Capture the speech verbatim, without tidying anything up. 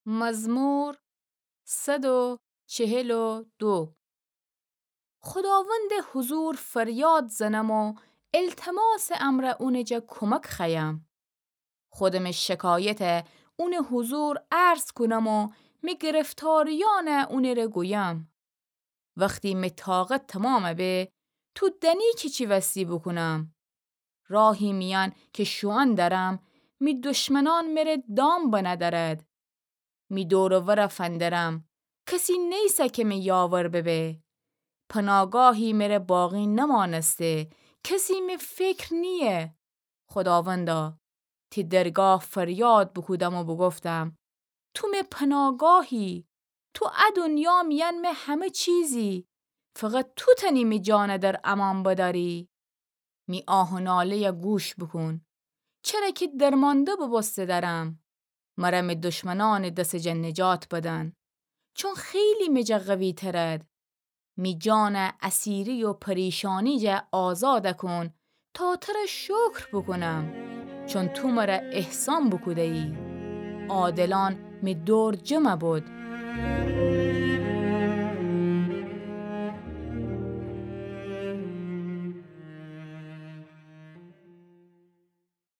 مزمور صد و چهل و دو. خوداوندٚ حضور فریاد زنم و التماسٚ امرأ اونٚ جا کمک خوأیم. خودمٚ شکایت اونٚ حضور عرض کونم و می گرفتاریأن اونٚ ره گویم. وختی می طاقت تمام به، تو دأنی کی چی وستی بوکونم. راهی میأن کی شوئن درم، می دشمنأن مره دام بنه درد. می دور و ور فندرم، کسی نیسه کی می یاور ببه. پناگاهی مره باقی نمانسته، کسی می فکر نییه. خوداوندا، تی درگاه فریاد بوکودم و بوگفتم: تو می پناگاهی، تو ا دنیا میأن می همه چیزی، فقط تو تأنی می جان در امان بدأری. می آه و ناله‌یه گوش بوکون، چره کی درمانده ببوسته درم. مره می دشمنأنٚ دسٚ جا نجات بدن، چون خیلی می جا قوی‌ترد. می جان اسیری و پریشانی جا آزاد کون، تا تره شکر بوکونم، چون تو مره احسان بوکوده‌یی. عادلأن می دور جمع بود.